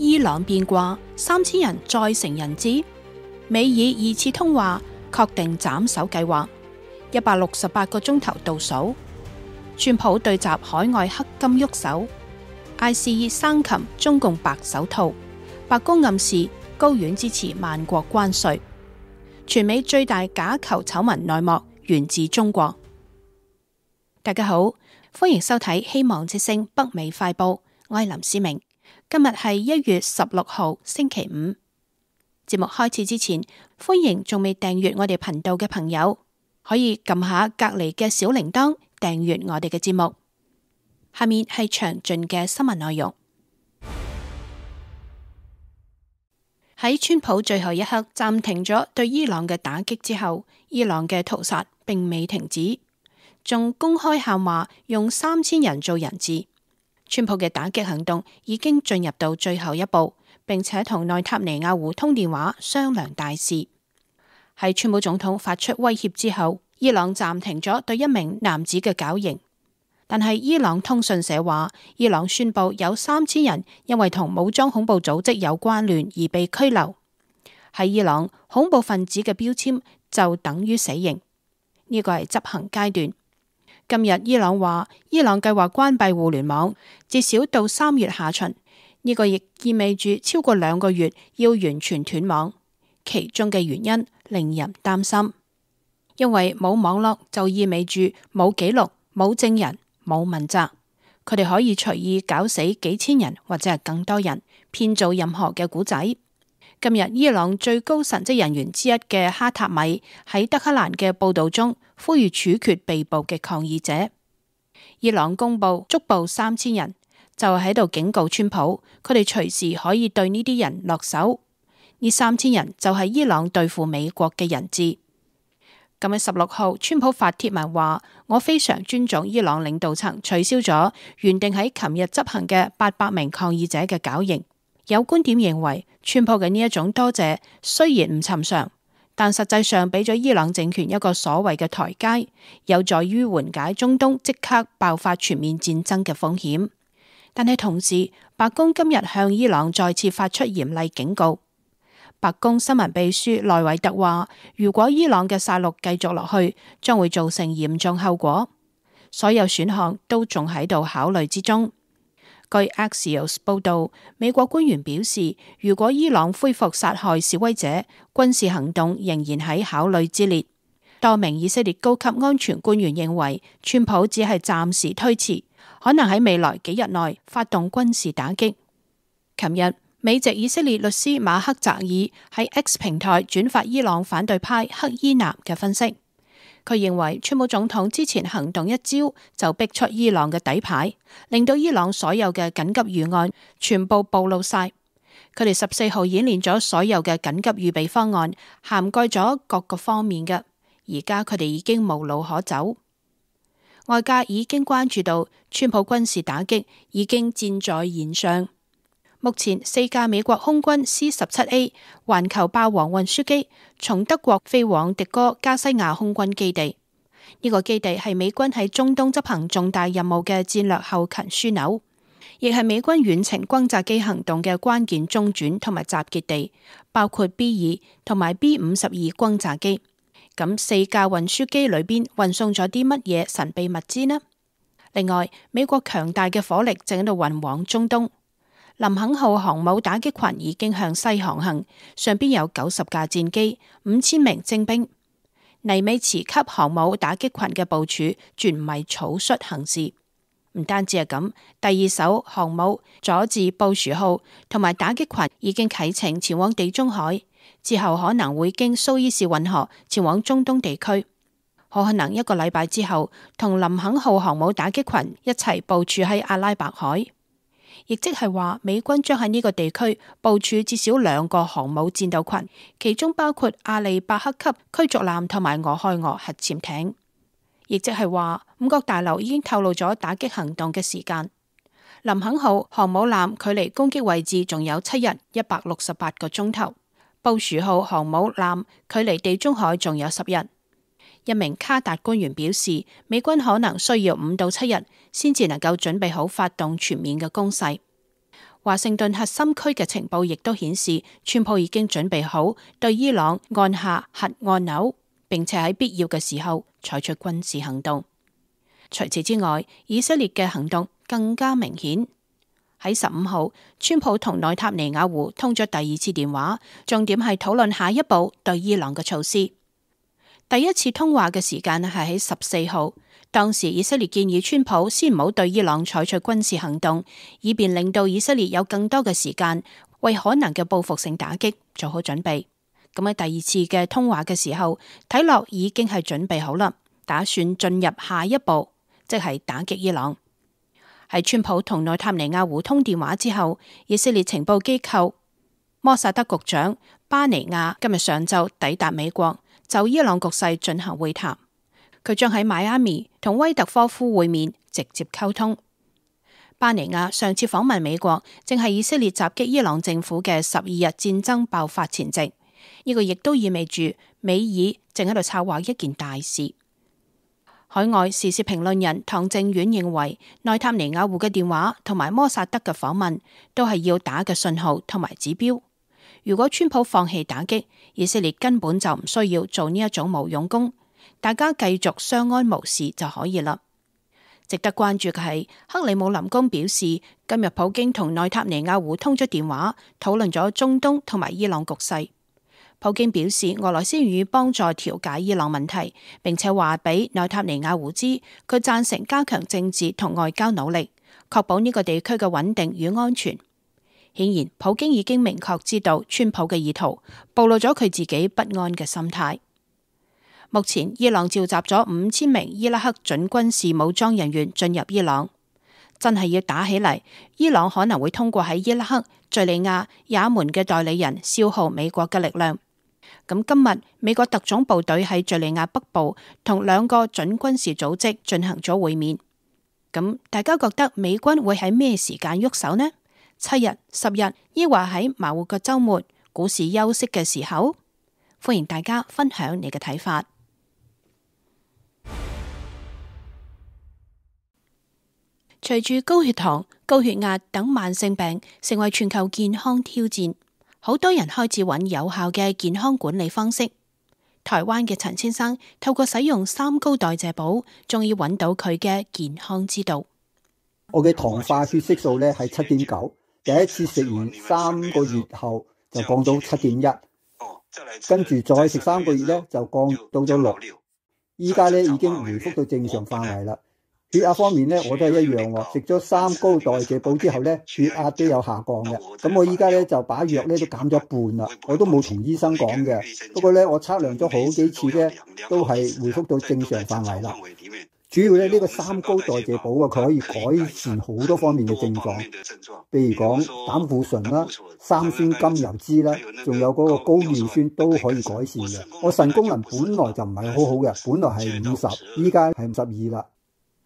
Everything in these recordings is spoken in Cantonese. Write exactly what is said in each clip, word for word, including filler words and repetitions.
伊朗變卦，三千人再成人質。美以二次通話，確定斬首計劃。一百六十八個鐘頭倒數。川普對襲海外黑金喐手。I C E 生擒中共白手套。白宮暗示高院支持萬國關稅。全美最大假球醜聞內幕源自中國。大家好，歡迎收睇希望之聲北美快報，我係林思明。今日係一月十六號星期五。節目開始之前，歡迎仲未訂閱我哋頻道嘅朋友，可以撳下隔籬嘅小鈴鐺訂閱我哋嘅節目。下面係詳盡嘅新聞內容。喺川普最後一刻暫停咗對伊朗嘅打擊之後，伊朗嘅屠殺並未停止，仲公開喊話用三千人做人質。川普嘅打擊行動已經進入到最後一步，並且同內塔尼亞胡通電話商量大事。喺川普總統發出威脅之後，伊朗暫停咗對一名男子嘅絞刑。但係伊朗通訊社話，伊朗宣布有三千人因為同武裝恐怖組織有關聯而被拘留。喺伊朗，恐怖分子嘅標籤就等於死刑，呢個係執行階段。今日伊朗話，伊朗計劃關閉互聯網，至少到三月下旬。呢個亦意味住超過兩個月要完全斷網。其中嘅原因令人擔心，因為冇網絡就意味住冇記錄、冇證人、冇問責，佢哋可以隨意搞死幾千人或者係更多人，編造任何嘅故仔。今日伊朗最高神職人員之一嘅哈塔米喺德黑蘭嘅報道中呼籲處決被捕嘅抗議者。伊朗公布捉捕三千人，就喺度警告川普，佢哋隨時可以對呢啲人落手。呢三千人就係伊朗對付美國嘅人質。今日十六號，川普發帖文話：我非常尊重伊朗領導層取消咗原定喺琴日執行嘅八百名抗議者嘅絞刑。有觀點認為，川普嘅呢一種多謝雖然唔尋常，但實際上俾咗伊朗政權一個所謂嘅台階，有助於緩解中東即刻爆發全面戰爭嘅風險。但係同時，白宮今日向伊朗再次發出嚴厲警告。白宮新聞秘書內維特話，如果伊朗嘅殺戮繼續落去，將會造成嚴重後果。所有選項都仲喺度考慮之中。據 Axios 報道，美國官員表示，如果伊朗恢復殺害示威者，軍事行動仍然喺考慮之列。多名以色列高級安全官員認為，川普只係暫時推遲，可能喺未來幾日內發動軍事打擊。琴日，美籍以色列律師馬克澤爾喺 X 平台轉發伊朗反對派克伊南嘅分析。佢認為川普總統之前行動一招就逼出伊朗嘅底牌，令到伊朗所有嘅緊急預案全部暴露晒。佢哋十四號演練咗所有嘅緊急預備方案，涵蓋咗各個方面嘅。而家佢哋已經無路可走。外界已經關注到川普軍事打擊已經箭在弦上。目前四架美國空軍 C 十七 A 環球霸王運輸機從德國飛往迪哥加西亞空軍基地，呢、這個基地係美軍喺中東執行重大任務嘅戰略後勤樞紐，亦係美軍遠程轟炸機行動嘅關鍵中轉同埋集結地，包括 B 二同埋 B 五十二轟炸機。咁四架運輸機裏邊運送咗啲乜嘢神秘物資呢？另外，美國強大嘅火力正喺度運往中東。林肯號航母打擊群已經向西航行，上邊有九十架戰機、五千名精兵。尼美茨級航母打擊群嘅部署絕唔係草率行事。唔單止係咁，第二艘航母佐治布殊號同埋打擊群已經啟程前往地中海，之後可能會經蘇伊士運河前往中東地區。好可能一個禮拜之後，同林肯號航母打擊群一齊部署喺阿拉伯海。亦即係話，美軍將喺呢個地區部署至少兩個航母戰鬥群，其中包括阿利伯克級驅逐艦同埋俄亥俄核潛艇。亦即係話，五角大樓已經透露咗打擊行動嘅時間。林肯號航母艦距離攻擊位置仲有七日一百六十八個鐘頭，布殊號航母艦距離地中海仲有十日。一名卡達官員表示，美軍可能需要五到七日先至能夠準備好發動全面嘅攻勢。華盛頓核心區嘅情報亦都顯示，川普已經準備好對伊朗按下核按鈕，並且喺必要嘅時候採取軍事行動。除此之外，以色列嘅行動更加明顯。喺十五號，川普同內塔尼亞胡通咗第二次電話，重點係討論下一步對伊朗嘅措施。第一次通話嘅時間係喺十四號，當時以色列建議川普先唔好對伊朗採取軍事行動，以便令到以色列有更多嘅時間為可能嘅報復性打擊做好準備。咁喺第二次嘅通話嘅時候，睇落已經係準備好啦，打算進入下一步，即係打擊伊朗。喺川普同內塔尼亞胡通電話之後，以色列情報機構摩薩德局長巴尼亞今日上晝抵達美國，就伊朗局勢進行會談。佢將喺邁阿密同威特科夫會面，直接溝通。巴尼亞上次訪問美國，正係以色列襲擊伊朗政府嘅十二日戰爭爆發前夕。呢個亦都意味住美以正喺度策劃一件大事。海外時事評論人唐正遠認為，內塔尼亞胡嘅電話同埋摩薩德嘅訪問都係要打嘅信號同埋指標。如果川普放棄打擊，以色列根本就唔需要做呢一種無用功，大家繼續相安無事就可以啦。值得關注嘅係，克里姆林宮表示，今日普京同內塔尼亞胡通咗電話，討論咗中東同埋伊朗局勢。普京表示，俄羅斯願意幫助調解伊朗問題，並且話俾內塔尼亞胡知，佢贊成加強政治同外交努力，確保呢個地區嘅穩定與安全。顯然，普京已經明確知道川普嘅意圖，暴露咗佢自己不安嘅心態。目前，伊朗召集咗五千名伊拉克準軍事武裝人員進入伊朗，真係要打起嚟，伊朗可能會通過喺伊拉克、敘利亞、也門嘅代理人消耗美國嘅力量。咁今日美國特種部隊喺敘利亞北部同兩個準軍事組織進行咗會面。咁大家覺得美軍會喺咩時間喐手呢？七日、十日，抑或喺馬虎嘅週末、股市休息嘅時候？歡迎大家分享你嘅睇法。隨住高血糖、高血壓等慢性病成為全球健康挑戰，好多人開始揾有效嘅健康管理方式。台灣嘅陳先生透過使用三高代謝寶，終於揾到佢嘅健康之道。我嘅糖化血色素咧係七點九，第一次食完三個月後就降到七點一，跟住再食三個月咧就降到咗六，依家咧已經回復到正常範圍啦。血壓方面咧，我都係一樣喎。食咗三高代謝寶之後咧，血壓都有下降嘅。咁我依家咧就把藥咧都減咗一半啦。我都冇同醫生講嘅，不過咧我測量咗好幾次咧，都係回復到正常範圍啦。主要咧呢個三高代謝寶啊，佢可以改善好多方面嘅症狀，譬如講膽固醇啦、三酸甘油酯啦，仲有嗰個高尿酸都可以改善嘅。我腎功能本來就唔係好好嘅，本來係五十，依家係五十二啦。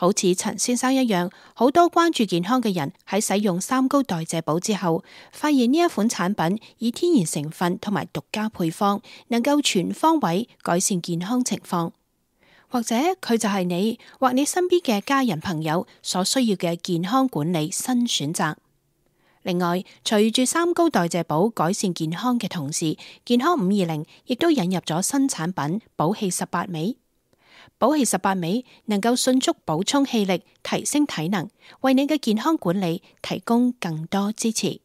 好似陳先生一樣，好多關注健康嘅人喺使用三高代謝寶之後，發現呢一款產品以天然成分同埋獨家配方，能夠全方位改善健康情況。或者佢就係你或你身邊嘅家人朋友所需要嘅健康管理新選擇。另外，隨住三高代謝寶改善健康嘅同時，健康五二零亦都引入咗新產品寶氣十八味。寶氣十八味能夠迅速補充氣力，提升體能，為你嘅健康管理提供更多支持。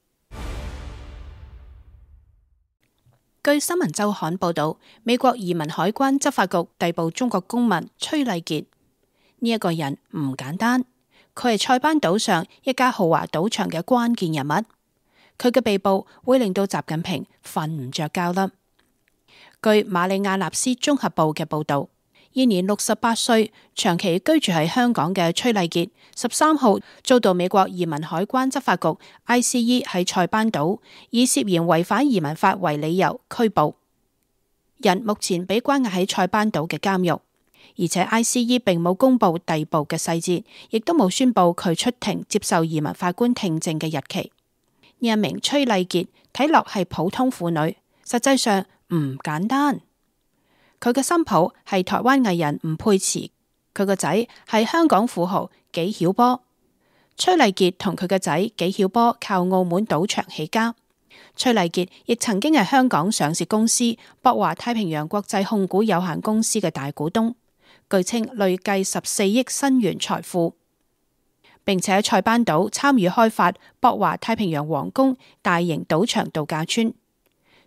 據新聞週刊報道，美國移民海關執法局逮捕中國公民崔麗傑。呢一個人唔簡單，佢係塞班島上一家豪華賭場嘅關鍵人物。佢嘅被捕會令到習近平瞓唔着覺啦。據馬里亞納斯綜合報嘅報道，現年六十八歲、長期居住喺香港嘅崔麗傑，十三號遭到美國移民海關執法局 I C E 喺塞班島以涉嫌違反移民法為理由拘捕。人目前被關押喺塞班島嘅監獄，而且 I C E 並冇公布逮捕嘅細節，亦都冇宣布佢出庭接受移民法官聽證嘅日期。呢一名崔麗傑睇落係普通婦女，實際上唔簡單。佢嘅新抱係台灣藝人吳佩慈，佢個仔係香港富豪紀曉波。崔麗傑同佢嘅仔紀曉波靠澳門賭場起家。崔麗傑亦曾經係香港上市公司博華太平洋國際控股有限公司嘅大股東，據稱累計十四億新元財富，並且喺塞班島參與開發博華太平洋皇宮大型賭場度假村。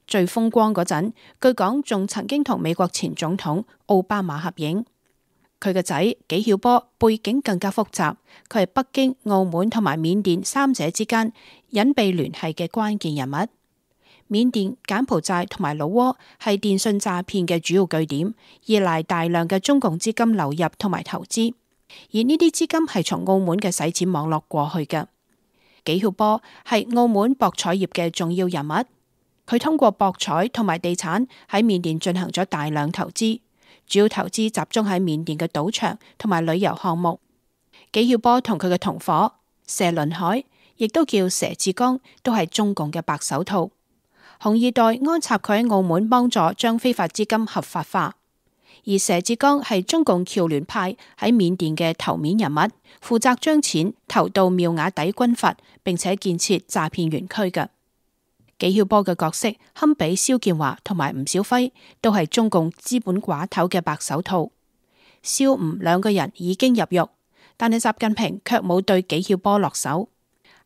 最風光嗰陣，據講仲曾經同美國前總統奧巴馬合影。佢嘅仔紀曉波背景更加複雜，佢係北京、澳門同埋緬甸三者之間隱秘聯繫嘅關鍵人物。緬甸、柬埔寨同埋老撾係電信詐騙嘅主要據點，依賴大量嘅中共資金流入同埋投資，而呢啲資金係從澳門嘅洗錢網絡過去嘅。紀曉波係澳門博彩業嘅重要人物，佢通過博彩同埋地產喺緬甸進行咗大量投資。主要投資集中喺緬甸嘅賭場同埋旅遊項目。紀曉波同佢嘅同伙謝倫海，亦都叫佘志剛，都係中共嘅白手套。紅二代安插佢喺澳門幫助將非法資金合法化，而佘志剛係中共僑聯派喺緬甸嘅頭面人物，負責將錢投到妙瓦底軍閥，並且建設詐騙園區嘅。紀曉波嘅角色堪比肖建華同埋吳小輝，都係中共資本寡頭嘅白手套。肖吳兩個人已經入獄，但係習近平卻冇對紀曉波落手。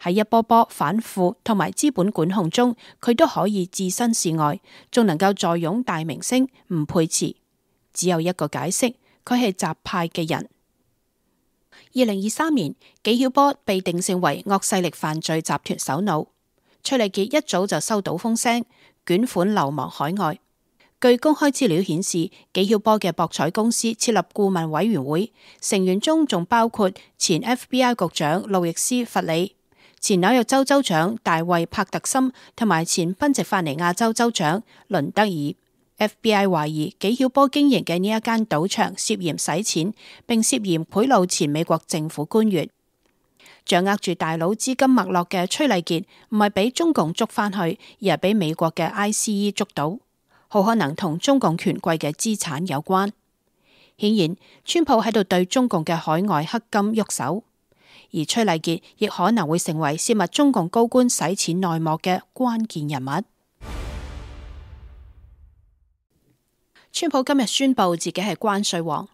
喺一波波反腐同埋資本管控中，佢都可以置身事外，仲能夠坐擁大明星吳佩慈。只有一個解釋，佢係習派嘅人。二零二三年，紀曉波被定性為惡勢力犯罪集團首腦。崔麗傑一早就收到風聲，捲款流亡海外。據公開資料顯示，紀曉波嘅博彩公司設立顧問委員會，成員中仲包括前 F B I 局長路易斯·弗里、前紐約州州長大衛·帕特森同埋前賓夕法尼亞州州長倫德爾。F B I 懷疑紀曉波經營嘅呢一間賭場涉嫌洗錢，並涉嫌賄賂前美國政府官員。掌握住大佬資金脈絡嘅崔麗傑唔係俾中共捉返去，而係俾美國嘅 I C E 捉到，好可能同中共權貴嘅資產有關。顯然，川普喺度對中共嘅海外黑金喐手，而崔麗傑亦可能會成為泄密中共高官洗錢內幕嘅關鍵人物。川普今日宣布自己係關稅王。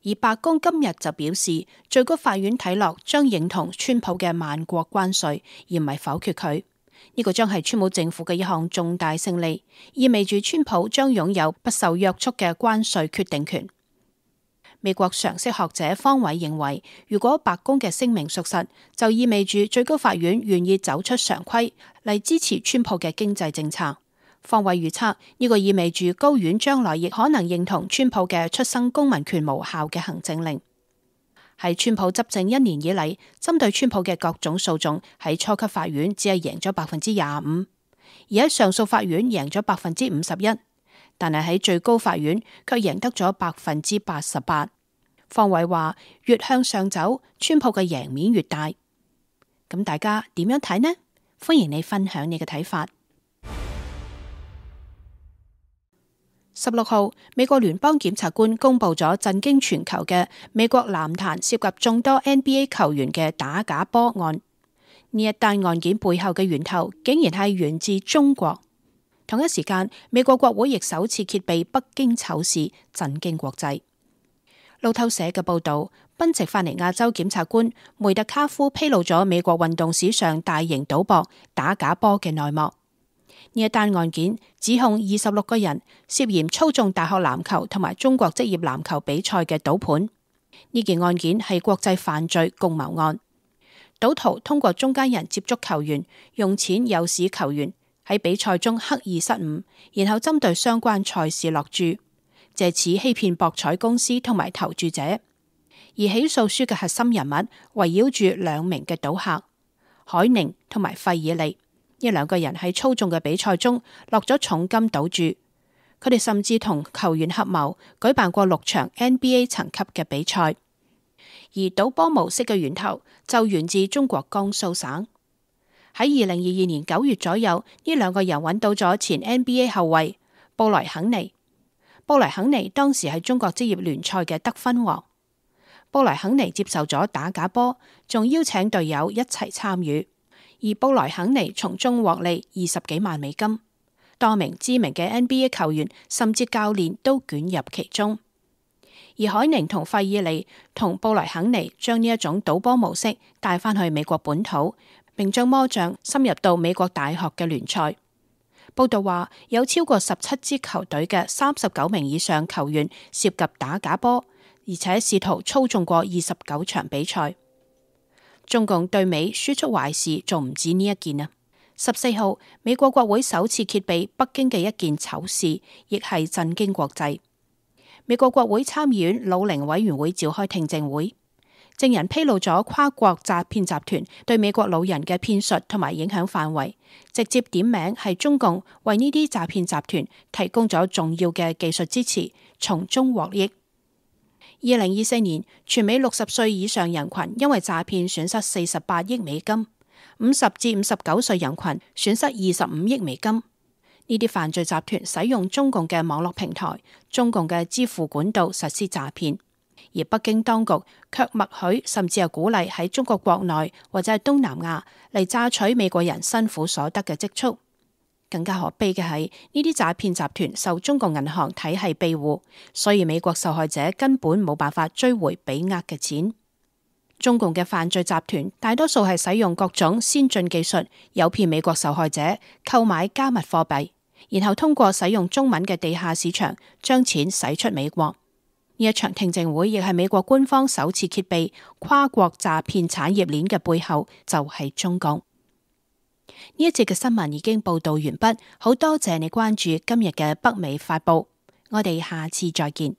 而白宮今日就表示，最高法院睇落將認同川普嘅萬國關稅，而唔係否決佢。呢、這個將係川普政府嘅一項重大勝利，意味住川普將擁有不受約束嘅關稅決定權。美國常識學者方偉認為，如果白宮嘅聲明屬實，就意味住最高法院願意走出常規嚟支持川普嘅經濟政策。方偉預測，呢個意味住高院將來亦可能認同川普嘅出生公民權無效嘅行政令。喺川普執政一年以嚟，針對川普嘅各種訴訟喺初級法院只係贏咗百分之廿五，而喺上訴法院贏咗百分之五十一，但係喺最高法院卻贏得咗百分之八十八。方偉話：越向上走，川普嘅贏面越大。咁大家點樣睇呢？歡迎你分享你嘅睇法。十六號，美國聯邦檢察官公布咗震驚全球嘅美國籃壇涉及眾多 N B A 球員嘅打假波案。呢一單案件背後嘅源頭竟然係源自中國。同一時間，美國國會亦首次揭秘北京醜事，震驚國際。路透社嘅報道，賓夕法尼亞州檢察官梅特卡夫披露咗美國運動史上大型賭博打假波嘅內幕。呢一單案件指控二十六個人涉嫌操縱大學籃球同埋中國職業籃球比賽嘅賭盤。呢件案件係國際犯罪共謀案，賭徒通過中間人接觸球員，用錢誘使球員喺比賽中刻意失誤，然後針對相關賽事落注，借此欺騙博彩公司同埋投注者。而起訴書嘅核心人物圍繞住兩名嘅賭客海寧同埋費爾利。呢兩個人喺操縱嘅比賽中落咗重金賭注，佢哋甚至同球員合謀舉辦過六場 N B A 層級嘅比賽。而賭波模式嘅源頭就源自中國江蘇省。喺二零二二年九月左右，呢兩個人揾到咗前 N B A 後衛布萊肯尼。布萊肯尼當時係中國職業聯賽嘅得分王。布萊肯尼接受咗打假波，仲邀請隊友一齊參與，而布萊肯尼從中獲利二十幾萬美金。多名知名嘅 N B A 球員甚至教練都捲入其中。而海寧同費爾尼同布萊肯尼將呢一種賭波模式帶返去美國本土，並將魔杖深入到美國大學嘅聯賽。報道話，有超過十七支球隊嘅三十九名以上球員涉及打假波，而且試圖操縱過二十九場比賽。中共對美輸出壞事仲唔止呢一件啊！十四號，美國國會首次揭秘北京嘅一件醜事，亦係震驚國際。美國國會參議院老齡委員會召開聽證會，證人披露咗跨國詐騙集團對美國老人嘅騙術同埋影響範圍，直接點名係中共為呢啲詐騙集團提供咗重要嘅技術支持，從中獲益。二零二四年，全美六十歲以上人群因為詐騙損失四十八億美金，五十至五十九歲人群損失二十五億美金。呢啲犯罪集團使用中共嘅網絡平台、中共嘅支付管道實施詐騙，而北京當局卻默許甚至係鼓勵喺中國國內或者係東南亞嚟榨取美國人辛苦所得嘅積蓄。更加可悲嘅係，呢啲詐騙集團受中共銀行體系庇護，所以美國受害者根本冇辦法追回被呃嘅錢。中共嘅犯罪集團大多數係使用各種先進技術，誘騙美國受害者購買加密貨幣，然後通過使用中文嘅地下市場將錢使出美國。呢一場聽證會亦係美國官方首次揭秘跨國詐騙產業鏈嘅背後就係中共。呢一節嘅新聞已經報道完畢，好多謝你關注今日嘅北美發報，我哋下次再見。